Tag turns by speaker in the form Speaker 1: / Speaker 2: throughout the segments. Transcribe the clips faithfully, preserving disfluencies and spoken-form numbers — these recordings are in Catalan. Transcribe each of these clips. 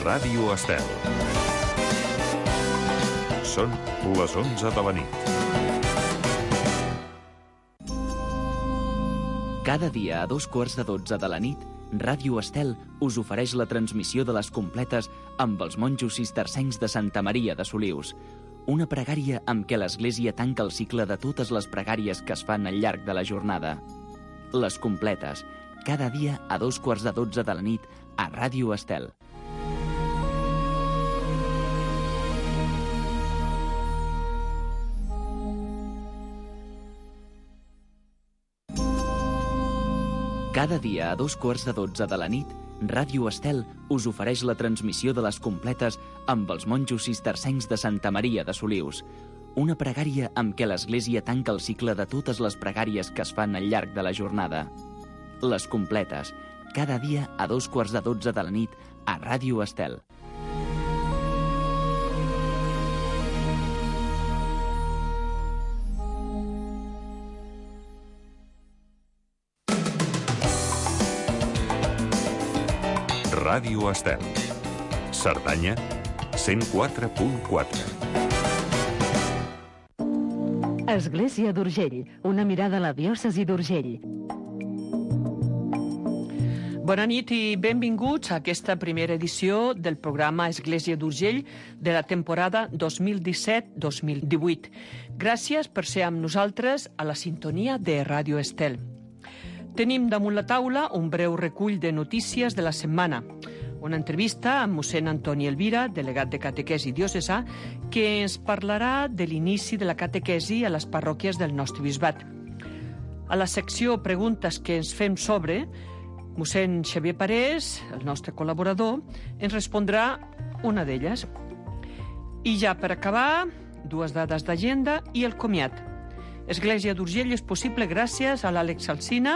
Speaker 1: Ràdio Estel. Són les onze de la nit.
Speaker 2: Cada dia a dos quarts de dotze de la nit, Ràdio Estel us ofereix la transmissió de les completes amb els monjos cistercencs de Santa Maria de Solius. Una pregària amb què l'Església tanca el cicle de totes les pregàries que es fan al llarg de la jornada. Les completes, cada dia a dos quarts de dotze de la nit a Ràdio Estel. Cada dia a dos quarts de dotze de la nit, Ràdio Estel us ofereix la transmissió de les completes amb els monjos cistercencs de Santa Maria de Solius. Una pregària amb què l'Església tanca el cicle de totes les pregàries que es fan al llarg de la jornada. Les completes, cada dia a dos quarts de dotze de la nit a Ràdio Estel.
Speaker 1: Ràdio Estel. Cerdanya, cent quatre punt quatre.
Speaker 3: Església d'Urgell, una mirada a la diòcesi d'Urgell.
Speaker 4: Bona nit i benvinguts a aquesta primera edició del programa Església d'Urgell de la temporada dos mil disset dos mil divuit. Gràcies per ser amb nosaltres a la sintonia de Ràdio Estel. Tenim damunt la taula un breu recull de notícies de la setmana. Una entrevista amb mossèn Antoni Elvira, delegat de catequesi diocesà, que ens parlarà de l'inici de la catequesi a les parròquies del nostre bisbat. A la secció Preguntes que ens fem sobre, mossèn Xavier Parés, el nostre col·laborador, ens respondrà una d'elles. I ja per acabar, dues dades d'agenda i el comiat. Església d'Urgell és possible gràcies a l'Àlex Alsina,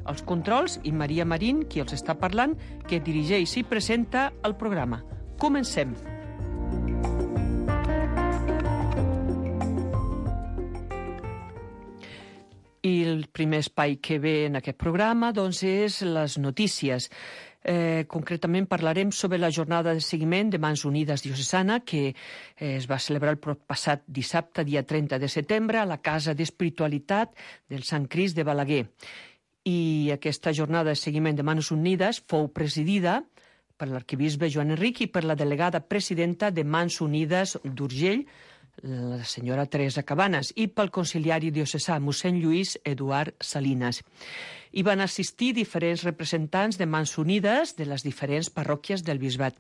Speaker 4: als controls, i Maria Marín, qui els està parlant, que dirigeix i presenta el programa. Comencem. I el primer espai que ve en aquest programa doncs, és les notícies. Eh, concretament parlarem sobre la jornada de seguiment de Mans Unides Diocesana que eh, es va celebrar el passat dissabte, dia trenta de setembre, a la Casa d'Espiritualitat del Sant Crist de Balaguer. I aquesta jornada de seguiment de Mans Unides fou presidida per l'arquebisbe Joan Enric i per la delegada presidenta de Mans Unides d'Urgell, la senyora Teresa Cabanes, i pel conciliari diocesà, mossèn Lluís Eduard Salinas. Hi van assistir diferents representants de Mans Unides de les diferents parròquies del bisbat.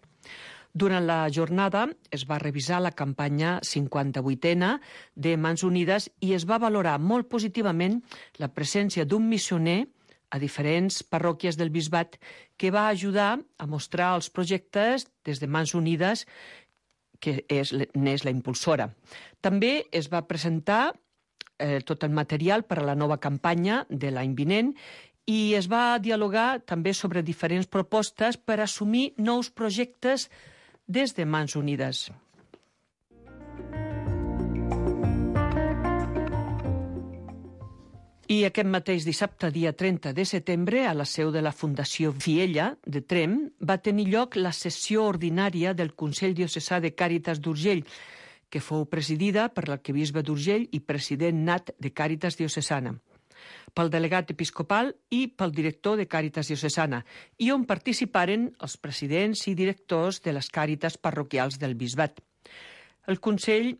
Speaker 4: Durant la jornada es va revisar la campanya cinquanta-vuitena de Mans Unides i es va valorar molt positivament la presència d'un missioner a diferents parròquies del bisbat que va ajudar a mostrar els projectes des de Mans Unides, que és, n'és la impulsora. També es va presentar eh, tot el material per a la nova campanya de l'any vinent i es va dialogar també sobre diferents propostes per assumir nous projectes des de Mans Unides. I aquest mateix dissabte, dia trenta de setembre, a la seu de la Fundació Fiella de Tremp, va tenir lloc la sessió ordinària del Consell Diocesà de Càritas d'Urgell, que fou presidida per l'arquebisbe d'Urgell i president nat de Càritas Diocesana, pel delegat episcopal i pel director de Càritas Diocesana, i on participaren els presidents i directors de les càritas parroquials del bisbat. El Consell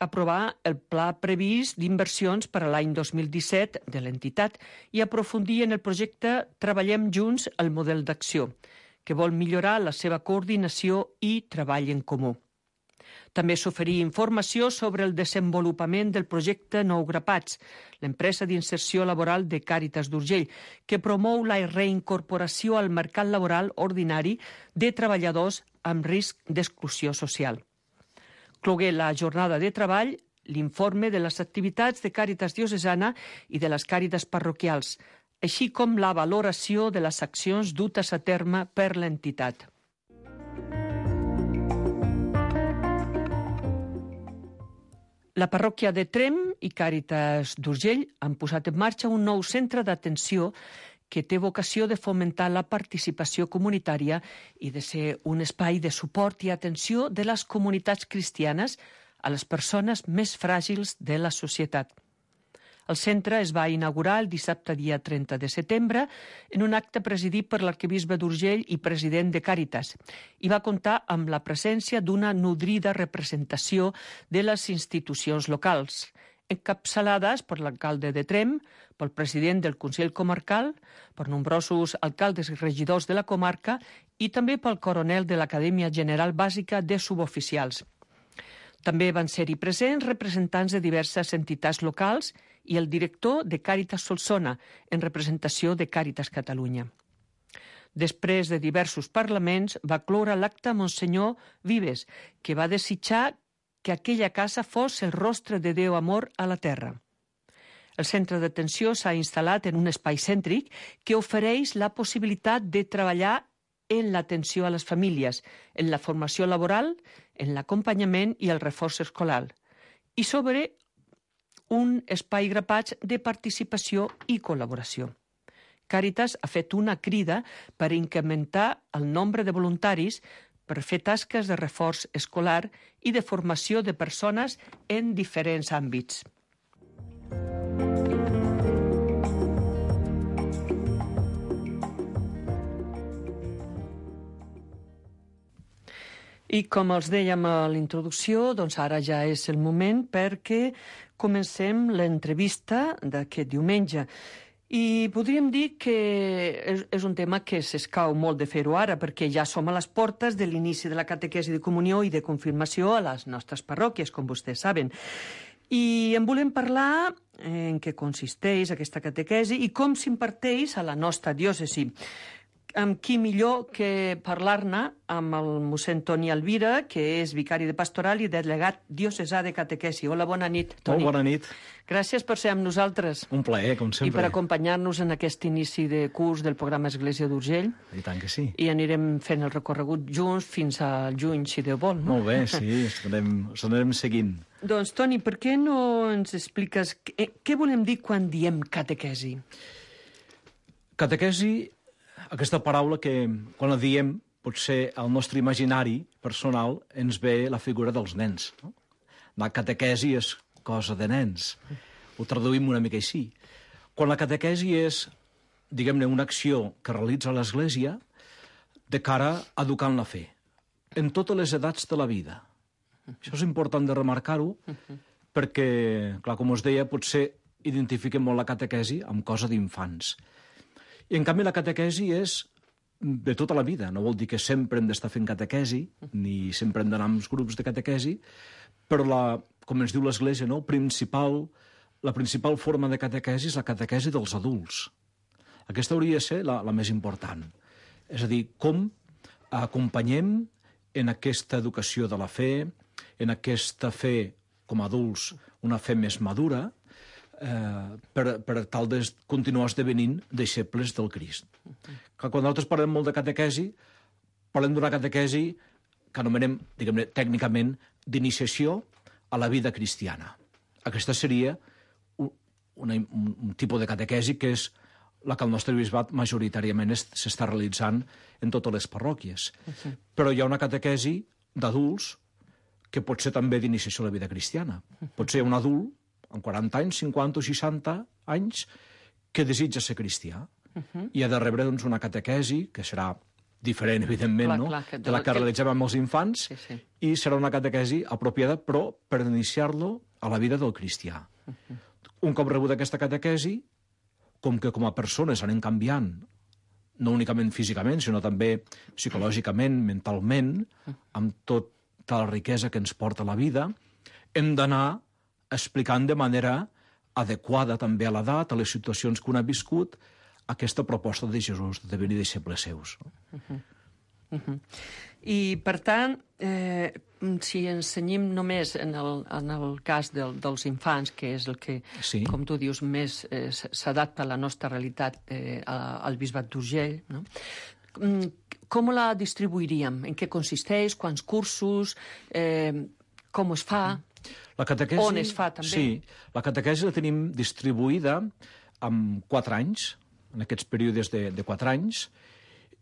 Speaker 4: aprovar el pla previst d'inversions per a l'any dos mil disset de l'entitat i aprofundir en el projecte Treballem Junts el model d'acció, que vol millorar la seva coordinació i treball en comú. També s'oferí informació sobre el desenvolupament del projecte Nou Grapats, l'empresa d'inserció laboral de Càritas d'Urgell, que promou la reincorporació al mercat laboral ordinari de treballadors amb risc d'exclusió social. Clogué la jornada de treball l'informe de les activitats de Càritas Diocesana i de les càritas parroquials, així com la valoració de les accions dutes a terme per l'entitat. La parròquia de Tremp i Càritas d'Urgell han posat en marxa un nou centre d'atenció que té vocació de fomentar la participació comunitària i de ser un espai de suport i atenció de les comunitats cristianes a les persones més fràgils de la societat. El centre es va inaugurar el dissabte dia trenta de setembre en un acte presidit per l'arquebisbe d'Urgell i president de Càritas i va comptar amb la presència d'una nodrida representació de les institucions locals, encapçalades per l'alcalde de Tremp, pel president del Consell Comarcal, per nombrosos alcaldes i regidors de la comarca i també pel coronel de l'Acadèmia General Bàsica de Suboficials. També van ser-hi presents representants de diverses entitats locals i el director de Càritas Solsona, en representació de Càritas Catalunya. Després de diversos parlaments, va cloure l'acte Monsenyor Vives, que va desitjar que aquella casa fos el rostre de Déu amor a la terra. El centre d'atenció s'ha instal·lat en un espai cèntric que ofereix la possibilitat de treballar en l'atenció a les famílies, en la formació laboral, en l'acompanyament i el reforç escolar, i sobre un espai grapats de participació i col·laboració. Càritas ha fet una crida per incrementar el nombre de voluntaris per fer tasques de reforç escolar i de formació de persones en diferents àmbits. I com els dèiem a l'introducció, doncs ara ja és el moment perquè comencem l'entrevista d'aquest diumenge. I podríem dir que és, és un tema que s'escau molt de fer-ho ara, perquè ja som a les portes de l'inici de la catequesi de comunió i de confirmació a les nostres parròquies, com vostès saben. I en volem parlar en què consisteix aquesta catequesi i com s'imparteix a la nostra diòcesi. Amb qui millor que parlar-ne amb el mossèn Toni Alvira, que és vicari de pastoral i delegat diocesà de catequesi. Hola, bona nit, Toni.
Speaker 5: Molt bona nit.
Speaker 4: Gràcies per ser amb nosaltres.
Speaker 5: Un plaer, com sempre.
Speaker 4: I per acompanyar-nos en aquest inici de curs del programa Església d'Urgell.
Speaker 5: I tant que sí.
Speaker 4: I anirem fent el recorregut junts fins al juny, si Déu vol, no?
Speaker 5: Molt bé, sí, ens anirem seguint.
Speaker 4: Doncs, Toni, per què no ens expliques què, què volem dir quan diem catequesi?
Speaker 5: Catequesi, aquesta paraula que, quan la diem, potser al nostre imaginari personal ens ve la figura dels nens. No? La catequesi és cosa de nens. Ho traduïm una mica així. Quan la catequesi és, diguem-ne, una acció que realitza l'Església de cara a educar en la fe, en totes les edats de la vida. Això és important de remarcar-ho, perquè, clar, com us deia, potser identifiquem molt la catequesi amb cosa d'infants. I, en canvi, la catequesi és de tota la vida. No vol dir que sempre hem d'estar fent catequesi, ni sempre hem d'anar amb grups de catequesi, però, la, com ens diu l'Església, no? principal, la principal forma de catequesi és la catequesi dels adults. Aquesta hauria de ser la, la més important. És a dir, com acompanyem en aquesta educació de la fe, en aquesta fe com a adults, una fe més madura, eh, per, per tal de continuar esdevenint deixebles del Crist. Que quan nosaltres parlem molt de catequesi, parlem d'una catequesi que anomenem, diguem-ne, tècnicament, d'iniciació a la vida cristiana. Aquesta seria un, una, un, un tipus de catequesi que és la que el nostre bisbat majoritàriament s'està realitzant en totes les parròquies. Uh-huh. Però hi ha una catequesi d'adults que pot ser també d'iniciació a la vida cristiana. Uh-huh. Pot ser un adult, amb quaranta anys, cinquanta o seixanta anys, que desitja ser cristià. Uh-huh. I ha de rebre doncs, una catequesi, que serà diferent, evidentment, clar, no? clar, que de la que, que realitzem amb els infants, sí, sí. I serà una catequesi apropiada, però per iniciar-lo a la vida del cristià. Uh-huh. Un cop rebut aquesta catequesi, com que com a persones anem canviant, no únicament físicament, sinó també psicològicament, mentalment, amb tota la riquesa que ens porta la vida, hem d'anar explicant de manera adequada també a l'edat, a les situacions que un ha viscut, aquesta proposta de Jesús de venir deixebles seus.
Speaker 4: Uh-huh. Uh-huh. I, per tant, eh, si ensenyem només en el, en el cas del, dels infants, que és el que, sí. com tu dius, més eh, s'adapta a la nostra realitat eh, al bisbat d'Urgell, no? Com la distribuiríem? En què consisteix? Quants cursos? Eh, com es fa?
Speaker 5: La catequesi,
Speaker 4: on es fa, també?
Speaker 5: Sí, la catequesi la tenim distribuïda en quatre anys, en aquests períodes de, de quatre anys,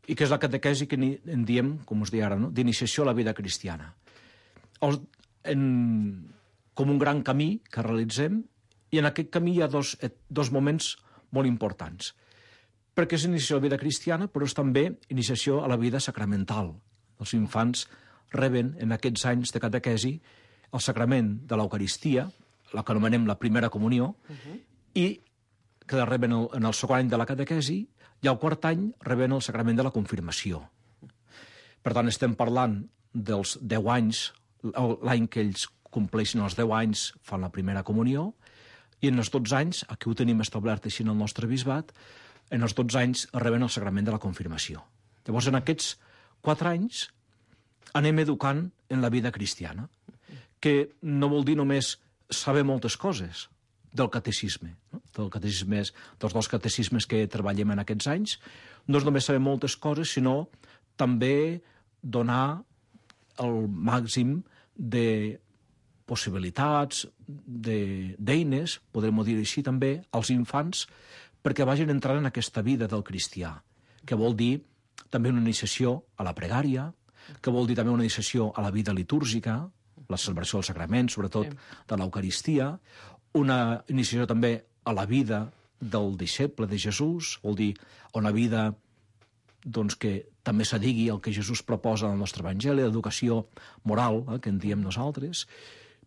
Speaker 5: i que és la catequesi que ni, en diem, com us deia ara, no? D'iniciació a la vida cristiana. El, en, com un gran camí que realitzem, i en aquest camí hi ha dos, dos moments molt importants. Perquè és iniciació a la vida cristiana, però és també iniciació a la vida sacramental. Els infants reben en aquests anys de catequesi el sacrament de l'Eucaristia, la que anomenem la primera comunió, uh-huh. i que reben el, en el segon any de la catequesi, i al quart any reben el sacrament de la confirmació. Per tant, estem parlant dels deu anys, l'any que ells compleixen els deu anys fan la primera comunió, i en els dotze anys, aquí ho tenim establert així en el nostre bisbat, en els dotze anys reben el sacrament de la confirmació. Llavors, en aquests quatre anys anem educant en la vida cristiana, que no vol dir només saber moltes coses del catecisme, no? Del catecisme, dels dos catecismes que treballem en aquests anys, no és només saber moltes coses, sinó també donar el màxim de possibilitats, d'eines, podrem dir així també, als infants, perquè vagin entrant en aquesta vida del cristià, que vol dir també una iniciació a la pregària, que vol dir també una iniciació a la vida litúrgica, la celebració del sacrament, sobretot de l'Eucaristia, una iniciació també a la vida del deixeble de Jesús, vol dir una vida doncs, que també s'adigui el que Jesús proposa en el nostre Evangeli, l'educació moral, eh, que en diem nosaltres.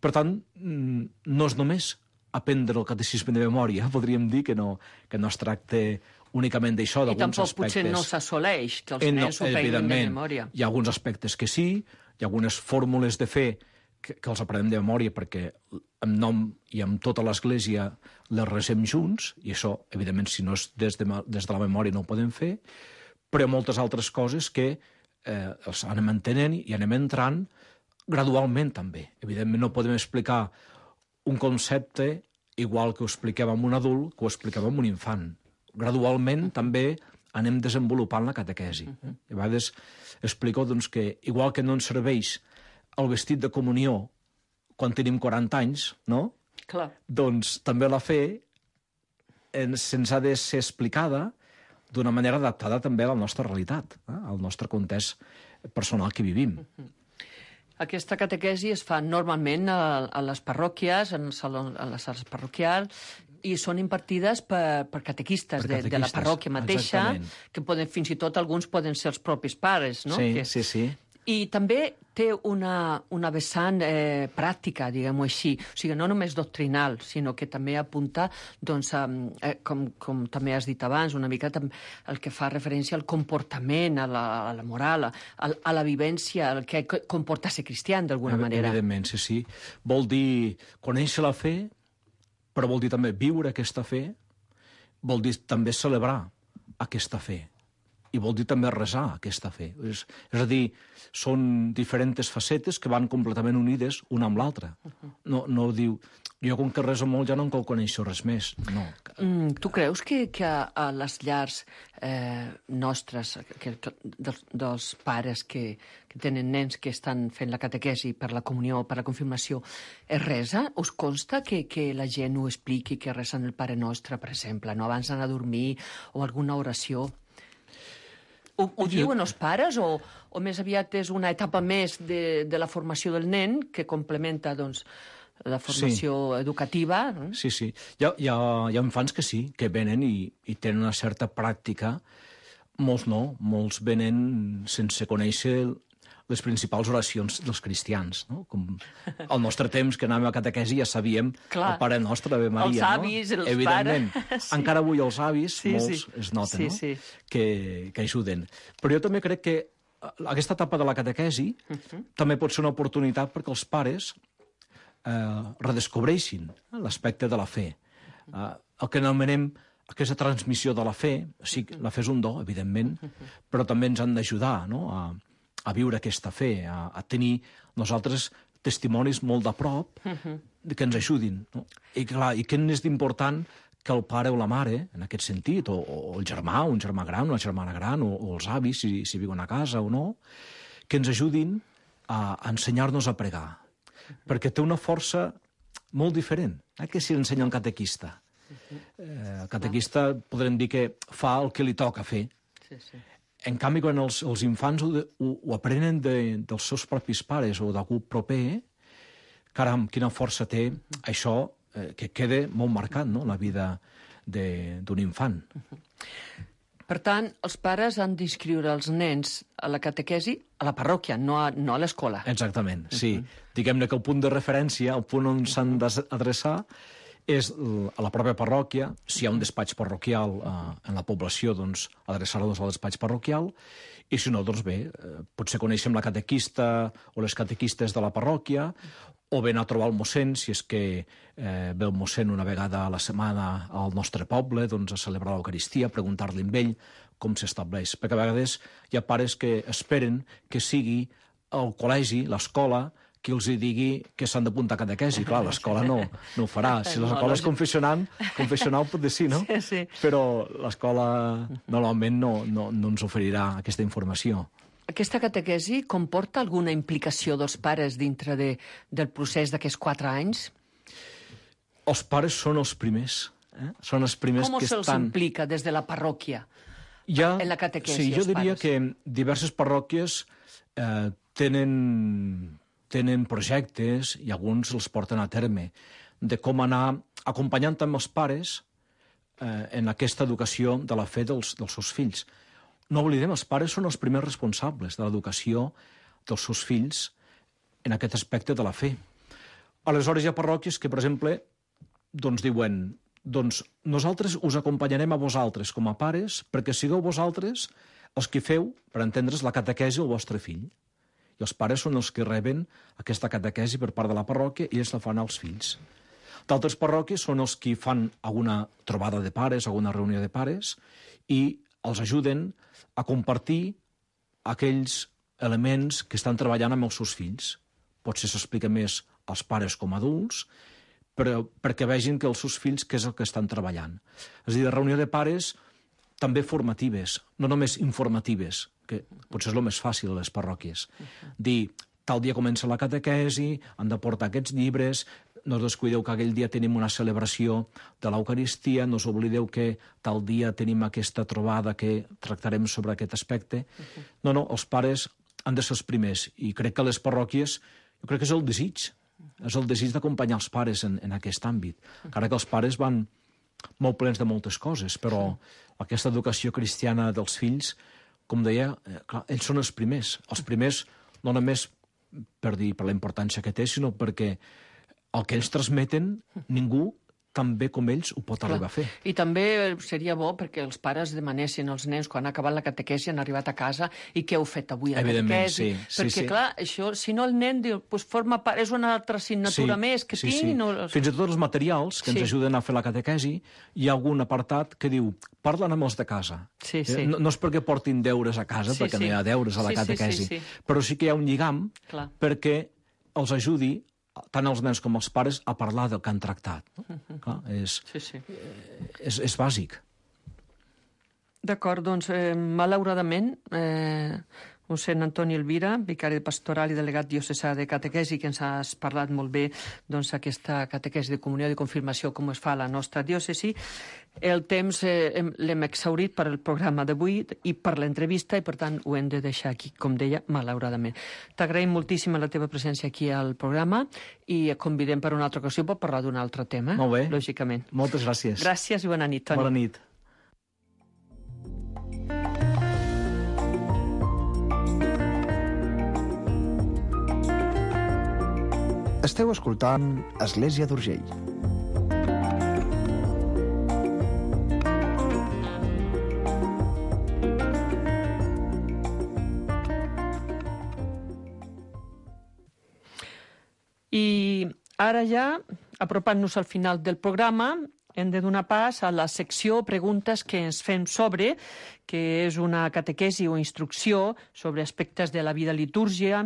Speaker 5: Per tant, no és només aprendre el catecisme de memòria, podríem dir que no, que no es tracta únicament d'això, d'alguns aspectes.
Speaker 4: I tampoc potser no s'assoleix que els nens ho aprenguin de memòria.
Speaker 5: Hi ha alguns aspectes que sí, hi ha algunes fórmules de fe que, que els aprenem de memòria perquè amb nom i amb tota l'Església les resem junts, i això, evidentment, si no és des de, des de la memòria no ho podem fer, però hi ha moltes altres coses que eh, els anem entenent i anem entrant gradualment també. Evidentment no podem explicar un concepte igual que ho expliquem amb un adult que ho expliquem amb un infant. Gradualment també anem desenvolupant la catequesi. Uh-huh. A vegades explico doncs, que igual que no ens serveix el vestit de comunió quan tenim quaranta anys, no?
Speaker 4: Clar.
Speaker 5: Doncs també la fe ens, ens ha de ser explicada d'una manera adaptada també a la nostra realitat, eh? Al nostre context personal que vivim.
Speaker 4: Uh-huh. Aquesta catequesi es fa normalment a, a les parròquies, en salons, a les sales parroquials, i són impartides per, per catequistes, per catequistes de, de la parròquia mateixa, exactament. Que poden, fins i tot alguns poden ser els propis pares, no?
Speaker 5: Sí,
Speaker 4: que...
Speaker 5: sí, sí.
Speaker 4: I també té una, una vessant eh, pràctica, diguem-ho així. O sigui, no només doctrinal, sinó que també apunta, doncs, a, eh, com, com també has dit abans, una mica el que fa referència al comportament, a la, a la moral, a, a la vivència, el que comporta ser cristià, d'alguna manera.
Speaker 5: Evidentment, sí, sí. Vol dir conèixer la fe, però vol dir també viure aquesta fe, vol dir també celebrar aquesta fe, i vol dir també resar aquesta fe. És, és a dir, són diferents facetes que van completament unides una amb l'altra. No, no diu, jo com que reso molt ja no en cal conèixer res més. No.
Speaker 4: Mm, tu creus que, que a, a les llars eh, nostres, que, que, dels, dels pares que, que tenen nens que estan fent la catequesi per la comunió, per la confirmació, es resa? Us consta que, que la gent ho expliqui, que resen el Pare Nostre, per exemple, no? Abans d'anar a dormir, o alguna oració? Ho, ho diuen els pares o, o més aviat és una etapa més de, de la formació del nen que complementa doncs, la formació sí. educativa? No?
Speaker 5: Sí, sí. Hi ha, hi, ha, hi ha infants que sí, que venen i, i tenen una certa pràctica. Molts no. Molts venen sense conèixer les principals oracions dels cristians. No? Com al nostre temps, que anàvem a catequesi, ja sabíem Clar. El Pare Nostre, Ave Maria.
Speaker 4: Els avis,
Speaker 5: no?
Speaker 4: els
Speaker 5: Evidentment.
Speaker 4: pares. Sí.
Speaker 5: Encara avui els avis,
Speaker 4: sí,
Speaker 5: molts
Speaker 4: sí.
Speaker 5: es nota,
Speaker 4: sí,
Speaker 5: no?
Speaker 4: sí.
Speaker 5: Que, que ajuden. Però jo també crec que aquesta etapa de la catequesi uh-huh. també pot ser una oportunitat perquè els pares eh, redescobreixin l'aspecte de la fe. Eh, el que anomenem aquesta transmissió de la fe, sí, la fe és un do, evidentment, uh-huh. però també ens han d'ajudar, no?, a a viure aquesta fe, a, a tenir nosaltres testimonis molt de prop uh-huh. que ens ajudin. No? I, clar, i què és d'important que el pare o la mare, en aquest sentit, o, o el germà, un germà gran, una germana gran, o, o els avis, si, si viuen a casa o no, que ens ajudin a, a ensenyar-nos a pregar. Uh-huh. Perquè té una força molt diferent eh, que si l'ensenya un catequista. Eh, el catequista podrem dir que fa el que li toca fer.
Speaker 4: Sí, sí.
Speaker 5: En canvi, quan els, els infants ho, ho, ho aprenen de, dels seus propis pares o d'algú proper, caram, quina força té això eh, que queda molt marcat, no?, la vida d'un infant.
Speaker 4: Per tant, els pares han d'inscriure els nens a la catequesi a la parròquia, no a, no a l'escola.
Speaker 5: Exactament, sí. Uh-huh. Diguem-ne que el punt de referència, el punt on s'han d'adreçar, és a la pròpia parròquia. Si hi ha un despatx parroquial eh, en la població, doncs adreçar-los al despatx parroquial, i si no, doncs bé, eh, potser coneixem la catequista o les catequistes de la parròquia, o bé anar a trobar el mossèn, si és que eh, ve el mossèn una vegada a la setmana al nostre poble, doncs a celebrar l'Eucaristia, preguntar-li amb ell com s'estableix. Perquè a vegades hi ha pares que esperen que sigui el col·legi, l'escola, qui els digui que s'han d'apuntar a catequesi. Clar, l'escola no, no ho farà. Si l'escola és confessional, confessional pot dir sí, no?
Speaker 4: Sí, sí.
Speaker 5: Però l'escola normalment no, no, no ens oferirà aquesta informació.
Speaker 4: Aquesta catequesi comporta alguna implicació dels pares dintre de, del procés d'aquests quatre anys?
Speaker 5: Els pares són els primers. Eh? Són els primers
Speaker 4: Com
Speaker 5: que
Speaker 4: se'ls
Speaker 5: estan...
Speaker 4: implica des de la parròquia
Speaker 5: ja,
Speaker 4: en la catequesi?
Speaker 5: Sí, jo
Speaker 4: els
Speaker 5: diria
Speaker 4: pares?
Speaker 5: que diverses parròquies eh, tenen... tenen projectes, i alguns els porten a terme, de com anar acompanyant també els pares eh, en aquesta educació de la fe dels, dels seus fills. No oblidem, els pares són els primers responsables de l'educació dels seus fills en aquest aspecte de la fe. Aleshores hi ha parròquies que, per exemple, doncs diuen, doncs nosaltres us acompanyarem a vosaltres com a pares perquè sigueu vosaltres els que feu, per entendre's, la catequesi al vostre fill. I els pares són els que reben aquesta catequesi per part de la parròquia i ells la fan als fills. D'altres parròquies són els que fan alguna trobada de pares, alguna reunió de pares, i els ajuden a compartir aquells elements que estan treballant amb els seus fills. Potser s'explica més als pares com a adults, però perquè vegin que els seus fills què és el que estan treballant. És a dir, reunió de pares també formatives, no només informatives, que potser és el més fàcil a les parròquies. Dir, tal dia comença la catequesi, han de portar aquests llibres, no us descuideu que aquell dia tenim una celebració de l'Eucaristia, no us oblideu que tal dia tenim aquesta trobada que tractarem sobre aquest aspecte. No, no, els pares han de ser els primers, i crec que les parròquies, jo crec que és el desig, és el desig d'acompanyar els pares en, en aquest àmbit. Encara que els pares van molt plens de moltes coses, però aquesta educació cristiana dels fills, com deia, eh, clar, ells són els primers. Els primers no només per dir per la importància que té, sinó perquè el que ells transmeten, ningú tan bé com ells ho pot clar. Arribar a fer.
Speaker 4: I també seria bo perquè els pares demanessin als nens quan han acabat la catequesi, han arribat a casa, i què heu fet avui a la catequesi?
Speaker 5: Sí, sí,
Speaker 4: perquè,
Speaker 5: sí.
Speaker 4: clar, això, si no el nen diu, pues forma part, és una altra assignatura
Speaker 5: sí,
Speaker 4: més que
Speaker 5: sí,
Speaker 4: tinc...
Speaker 5: Sí.
Speaker 4: No...
Speaker 5: Fins i tot els materials que ens sí. ajuden a fer la catequesi, hi ha algun apartat que diu, parlen amb els de casa.
Speaker 4: Sí, sí.
Speaker 5: No, no és perquè portin deures a casa,
Speaker 4: sí,
Speaker 5: perquè
Speaker 4: sí.
Speaker 5: no hi ha deures a la
Speaker 4: sí,
Speaker 5: catequesi,
Speaker 4: sí, sí, sí.
Speaker 5: però sí que hi ha un lligam
Speaker 4: clar.
Speaker 5: Perquè els ajudi tant els nens com els pares a parlar del que han tractat. No? Uh-huh. Clar, és,
Speaker 4: sí, sí.
Speaker 5: és, és bàsic.
Speaker 4: D'acord, doncs, eh, malauradament, eh, mossèn Antoni Elvira, vicari pastoral i delegat diocesà de catequesi, que ens has parlat molt bé doncs, aquesta catequesi de comunió de confirmació, com es fa a la nostra diòcesi. El temps eh, l'hem exhaurit per al programa d'avui i per l'entrevista, i per tant ho hem de deixar aquí, com deia, malauradament. T'agraïm moltíssim la teva presència aquí al programa i et convidem per una altra ocasió per parlar d'un altre tema.
Speaker 5: Molt bé.
Speaker 4: Lògicament.
Speaker 5: Moltes gràcies.
Speaker 4: Gràcies i bona nit, Toni.
Speaker 5: Bona nit.
Speaker 6: Esteu escoltant Església d'Urgell.
Speaker 4: I ara ja, apropant-nos al final del programa, hem de donar pas a la secció preguntes que ens fem sobre, que és una catequesi o instrucció sobre aspectes de la vida litúrgia,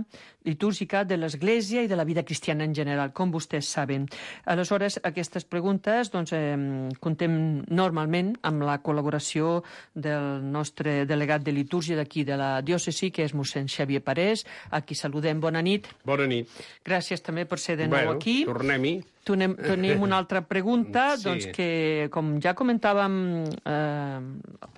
Speaker 4: litúrgica de l'Església i de la vida cristiana en general, com vostès saben. Aleshores, aquestes preguntes doncs, eh, contem normalment amb la col·laboració del nostre delegat de litúrgia d'aquí de la diòcesi, que és mossèn Xavier Parés, a qui saludem. Bona nit.
Speaker 7: Bona nit.
Speaker 4: Gràcies també per ser de nou
Speaker 7: bueno,
Speaker 4: aquí.
Speaker 7: Tornem-hi.
Speaker 4: Tenim, tenim una altra pregunta,
Speaker 7: Sí.
Speaker 4: doncs que, com ja comentàvem eh,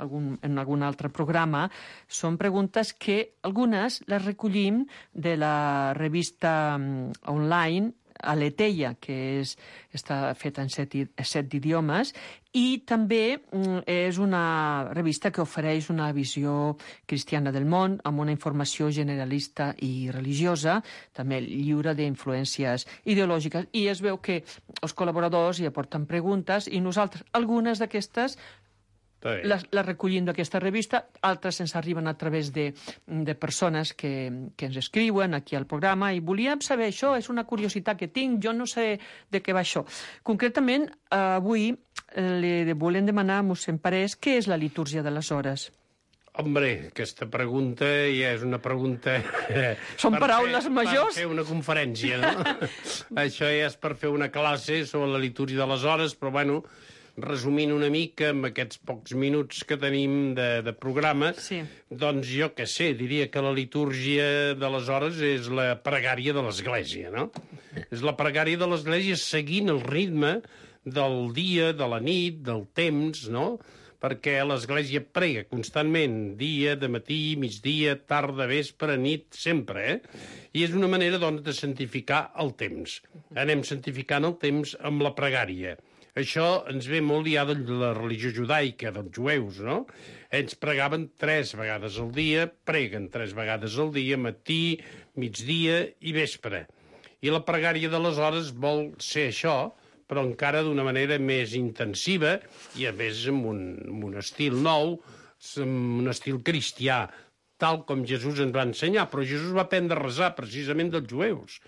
Speaker 4: algun, en algun altre programa, són preguntes que algunes les recollim de la revista mm, online Aleteia, que és, està feta en set, set idiomes, i també mm, és una revista que ofereix una visió cristiana del món, amb una informació generalista i religiosa, també lliure d'influències ideològiques, i es veu que els col·laboradors hi aporten preguntes, i nosaltres, algunes d'aquestes, les, les recollim d'aquesta revista, altres ens arriben a través de, de persones que, que ens escriuen aquí al programa, i volíem saber això, és una curiositat que tinc, jo no sé de què va això. Concretament, avui li volem demanar a mossèn Parés què és la litúrgia de les hores.
Speaker 7: Hombre, aquesta pregunta ja és una pregunta...
Speaker 4: Són paraules
Speaker 7: fer,
Speaker 4: majors?
Speaker 7: Per fer una conferència, no? Això ja és per fer una classe sobre la litúrgia de les hores, però bueno, resumint una mica amb aquests pocs minuts que tenim de, de programa,
Speaker 4: sí.
Speaker 7: Doncs jo què sé, diria que la litúrgia de les hores és la pregària de l'Església, no? És la pregària de l'Església seguint el ritme del dia, de la nit, del temps, no? Perquè l'Església prega constantment, dia, de matí, migdia, tarda, vespre, nit, sempre, eh? I és una manera, doncs, de santificar el temps. Anem santificant el temps amb la pregària. Això ens ve molt ja de la religió judaica, dels jueus, no? Ells pregaven tres vegades al dia, preguen tres vegades al dia, matí, migdia i vespre. I la pregària de les hores vol ser això, però encara d'una manera més intensiva i, a més, amb un, amb un estil nou, amb un estil cristià, tal com Jesús ens va ensenyar. Però Jesús va aprendre a resar precisament dels jueus.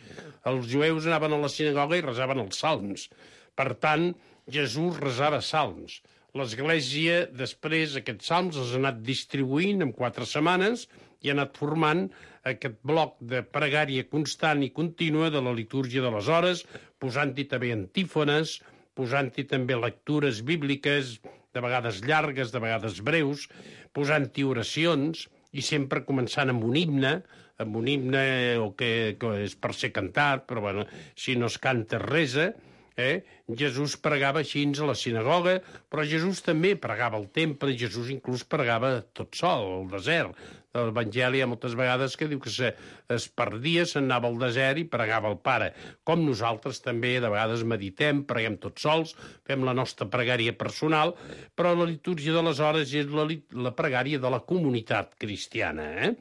Speaker 7: Els jueus anaven a la sinagoga i resaven els salms. Per tant, Jesús resava salms. L'Església, després, aquests salms els ha anat distribuint en quatre setmanes i ha anat formant aquest bloc de pregària constant i contínua de la litúrgia de les hores, posant-hi també antífones, posant-hi també lectures bíbliques, de vegades llargues, de vegades breus, posant-hi oracions, i sempre començant amb un himne, amb un himne o que, que és per ser cantat, però bueno, si no es canta resa. Eh? Jesús pregava així a la sinagoga, però Jesús també pregava al temple, i Jesús inclús pregava tot sol, al desert. L'Evangeli hi ha moltes vegades que diu que se, es perdia, se'n anava al desert i pregava al Pare. Com nosaltres també de vegades meditem, preguem tots sols, fem la nostra pregària personal, però la litúrgia de les hores és la, la pregària de la comunitat cristiana. Eh?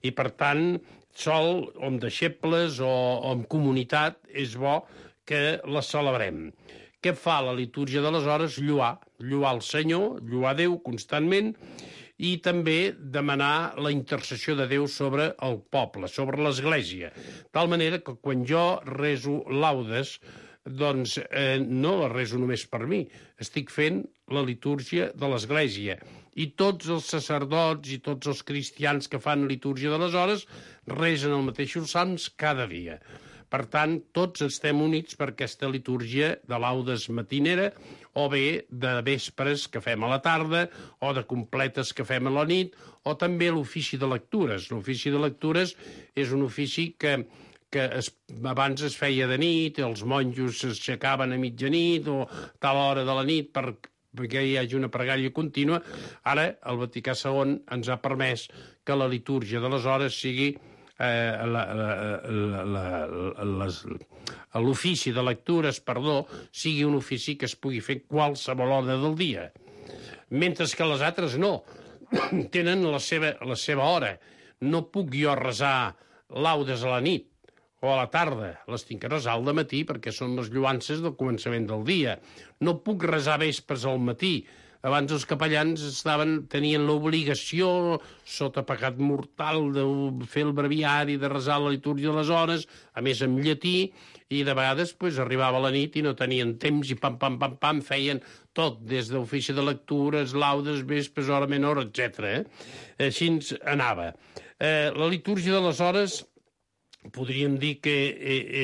Speaker 7: I per tant, sol o amb deixebles o, o amb comunitat és bo que la celebrem. Què fa la litúrgia de les hores? Lluar, lluar el Senyor, lluar Déu constantment, i també demanar la intercessió de Déu sobre el poble, sobre l'Església. De tal manera que quan jo rezo laudes, doncs eh, no la rezo només per mi, estic fent la litúrgia de l'Església. I tots els sacerdots i tots els cristians que fan litúrgia de les hores resen els mateixos salms cada dia. Per tant, tots estem units per aquesta litúrgia de laudes matinera, o bé de vespres que fem a la tarda, o de completes que fem a la nit, o també l'ofici de lectures. L'ofici de lectures és un ofici que, que es, abans es feia de nit, els monjos s'aixecaven a mitjanit o a tal hora de la nit per, perquè hi hagi una pregària contínua. Ara el Vaticà segon ens ha permès que la litúrgia de les hores sigui l'ofici de lectures, perdó, sigui un ofici que es pugui fer qualsevol hora del dia. Mentre que les altres no. Tenen la seva, la seva hora. No puc jo resar laudes a la nit o a la tarda. Les tinc que resar al matí perquè són les lloances del començament del dia. No puc resar vespres al matí. abans els capellans estaven, tenien l'obligació, sota pecat mortal, de fer el breviari, de resar la litúrgia de les hores, a més en llatí, i de vegades pues, arribava la nit i no tenien temps i pam, pam, pam, pam, feien tot, des d'ofici de lectures, laudes, vespres, hora menor, etcètera. Eh? Així ens anava. Eh, la litúrgia de les hores podríem dir que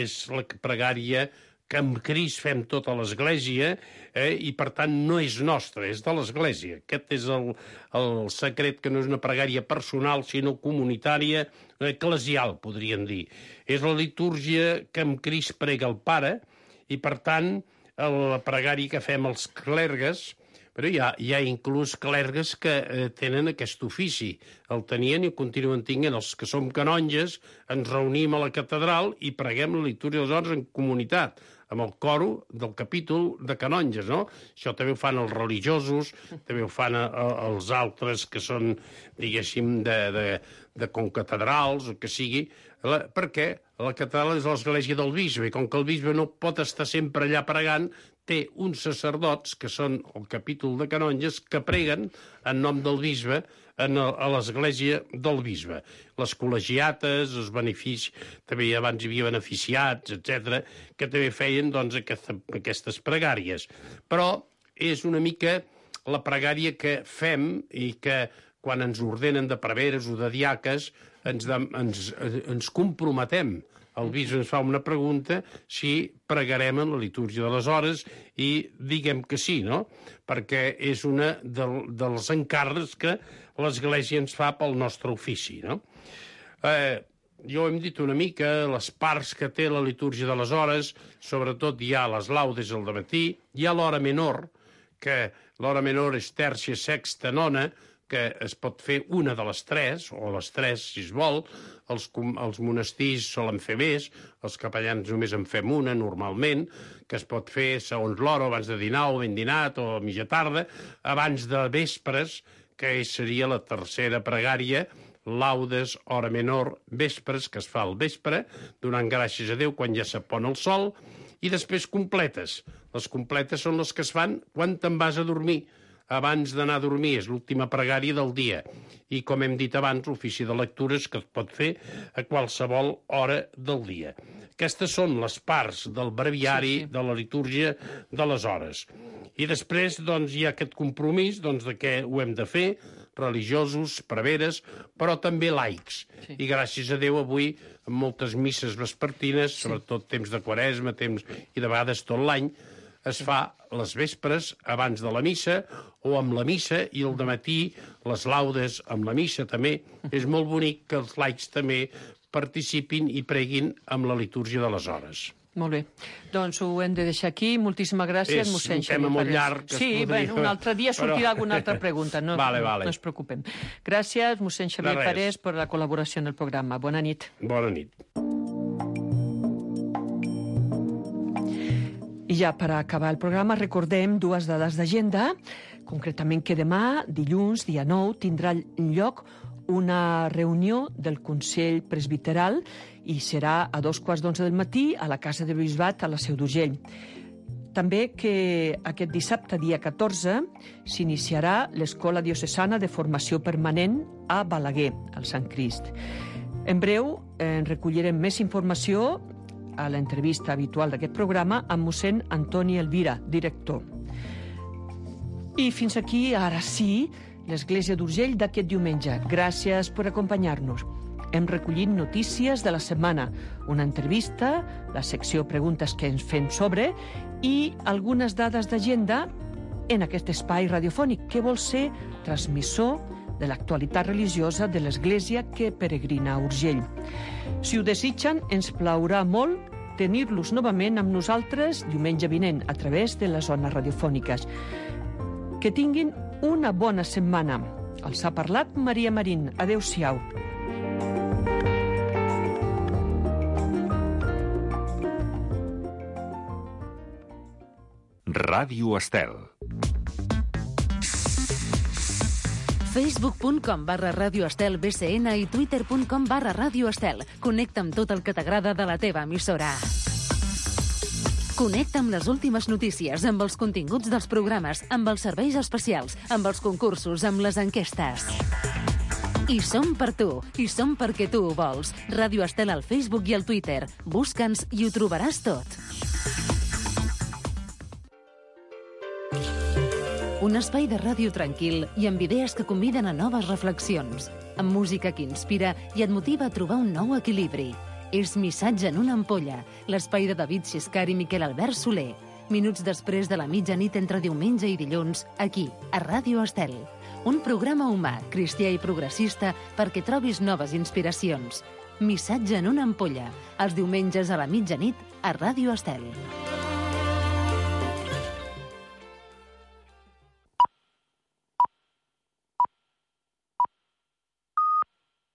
Speaker 7: és la pregària que amb Crist fem tota l'Església, eh, i per tant no és nostra, és de l'Església. Aquest és el, el secret, que no és una pregària personal, sinó comunitària, eclesial, podríem dir. És la litúrgia que amb Crist prega el Pare, i per tant la pregària que fem els clergues, però hi ha, hi ha inclús clergues que eh, tenen aquest ofici. El tenien i el continuen tinguent. Els que som canonges ens reunim a la catedral i preguem la litúrgia de les hores en comunitat, amb el coro del capítol de canonges, no? Això també ho fan els religiosos, també ho fan a, a, els altres que són, diguéssim, de, de, de concatedrals, o que sigui, la, perquè la catedral és l'església del bisbe, i com que el bisbe no pot estar sempre allà pregant, té uns sacerdots, que són el capítol de canonges, que preguen en nom del bisbe en el, a l'església del bisbe. Les col·legiates, els beneficis, també abans hi havia beneficiats, etcètera, que també feien doncs, aquesta, aquestes pregàries. Però és una mica la pregària que fem i que quan ens ordenen de preveres o de diaques ens, de, ens, ens comprometem. El bisbe ens fa una pregunta si pregarem en la litúrgia de les hores i diguem que sí, no? Perquè és una del, dels encàrrecs que l'Església ens fa pel nostre ofici, no? Eh, jo hem dit una mica les parts que té la litúrgia de les hores, sobretot hi ha les laudes al dematí, hi ha l'hora menor, que l'hora menor és tèrcia, sexta, nona, que es pot fer una de les tres, o les tres, si es vol. Els, els monestirs solen fer més, els capellans només en fem una, normalment, que es pot fer segons l'hora, abans de dinar, o ben dinat, o a mitja tarda, abans de vespres, que seria la tercera pregària, laudes, hora menor, vespres, que es fa al vespre, donant gràcies a Déu quan ja s'apon el sol, i després completes. Les completes són les que es fan quan te'n vas a dormir. Abans d'anar a dormir, és l'última pregària del dia. I, com hem dit abans, l'ofici de lectures que es pot fer a qualsevol hora del dia. Aquestes són les parts del breviari, sí, sí. de la litúrgia de les hores. I després doncs, hi ha aquest compromís doncs, de què ho hem de fer, religiosos, preveres, però també laics. Sí. I gràcies a Déu avui, en moltes misses vespertines, sí. sobretot temps de Quaresma, temps i de vegades tot l'any, es fa les vespres abans de la missa o amb la missa i el dematí les laudes amb la missa també. És molt bonic que els laics també participin i preguin amb la litúrgia de les hores.
Speaker 4: Molt bé. Doncs ho hem de deixar aquí. Moltíssimes gràcies, mossèn Xavier Parés. És un tema
Speaker 7: molt llarg. Que
Speaker 4: sí,
Speaker 7: podria...
Speaker 4: bé, un altre dia sortirà
Speaker 7: però...
Speaker 4: alguna altra pregunta. No,
Speaker 7: vale, vale.
Speaker 4: no es preocupen. Gràcies, mossèn Xavier Parés, per la col·laboració en el programa. Bona nit.
Speaker 7: Bona nit.
Speaker 4: I ja per acabar el programa recordem dues dades d'agenda, concretament que demà, dilluns, dia nou, tindrà lloc una reunió del Consell Presbiteral i serà a dos quarts d'onze del matí a la Casa de Bisbat a la Seu d'Urgell. També que aquest dissabte, dia catorze, s'iniciarà l'Escola Diocesana de Formació Permanent a Balaguer, al Sant Crist. En breu en recollirem més informació a l'entrevista habitual d'aquest programa amb mossèn Antoni Elvira, director. I fins aquí, ara sí, l'Església d'Urgell d'aquest diumenge. Gràcies per acompanyar-nos. Hem recollit notícies de la setmana, una entrevista, la secció Preguntes que ens fem sobre i algunes dades d'agenda en aquest espai radiofònic que vol ser transmissor de l'actualitat religiosa de l'Església que peregrina a Urgell. Si ho desitgen, ens plaurà molt tenir-los novament amb nosaltres diumenge vinent a través de les zones radiofòniques. Que tinguin una bona setmana. Els ha parlat Maria Marín. Adéu-siau.
Speaker 1: Ràdio Estel.
Speaker 8: facebook punt com barra Ràdio Estel B C N i twitter punt com barra Ràdio Estel. Connecta amb tot el que t'agrada de la teva emissora. Connecta amb les últimes notícies, amb els continguts dels programes, amb els serveis especials, amb els concursos, amb les enquestes. I som per tu, i som perquè tu ho vols. Ràdio Estel al Facebook i al Twitter. Busca'ns i ho trobaràs tot. Un espai de ràdio tranquil i amb idees que conviden a noves reflexions, amb música que inspira i et motiva a trobar un nou equilibri. És Missatge en una ampolla, l'espai de David Xiscar i Miquel Albert Soler. Minuts després de la mitjanit entre diumenge i dilluns, aquí, a Ràdio Estel. Un programa humà, cristià i progressista perquè trobis noves inspiracions. Missatge en una ampolla, els diumenges a la mitjanit a Ràdio Estel.